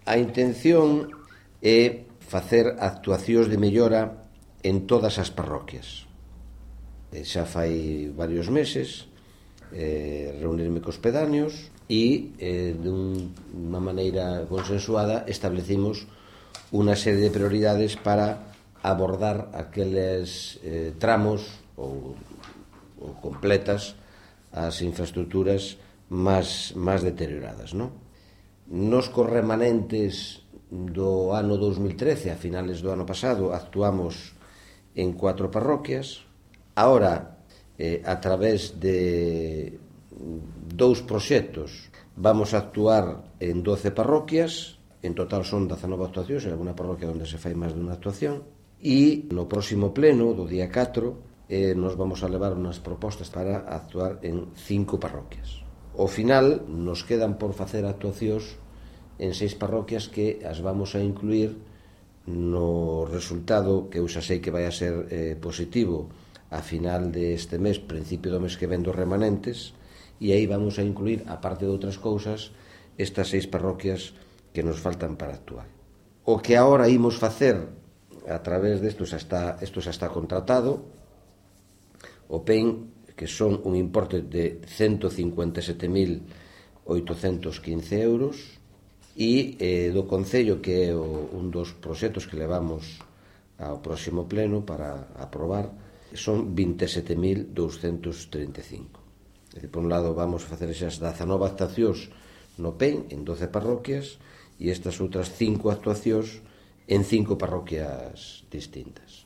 A intención é facer actuacións de mellora en todas as parroquias. Xa fai varios meses reunirme cos pedáneos e dunha maneira consensuada establecimos unha serie de prioridades para abordar aqueles tramos ou completas as infraestructuras máis deterioradas, non? Nos cos remanentes do ano 2013, a finales do ano pasado, actuamos en 4 parroquias. Ahora, a través de 2 proxectos, vamos a actuar en 12 parroquias. En total son 19 actuacións, en alguna parroquia onde se fai máis dunha actuación. E no próximo pleno, do día 4, nos vamos a levar unhas propostas para actuar en 5 parroquias. Ao final, nos quedan por facer actuacións en 6 parroquias que as vamos a incluir no resultado que eu xa sei que vai a ser positivo a final deste mes, principio do mes que ven dos remanentes, e aí vamos a incluir, aparte de outras cousas, estas 6 parroquias que nos faltan para actuar. O que agora imos facer a través desto xa está contratado, o PEN, que son un importe de 157.815 euros, e do Concello, que é un dos proxectos que levamos ao próximo pleno para aprobar, son 27.235. Por un lado, vamos a facer esas 19 actuacións no PEN en 12 parroquias e estas outras 5 actuacións en 5 parroquias distintas.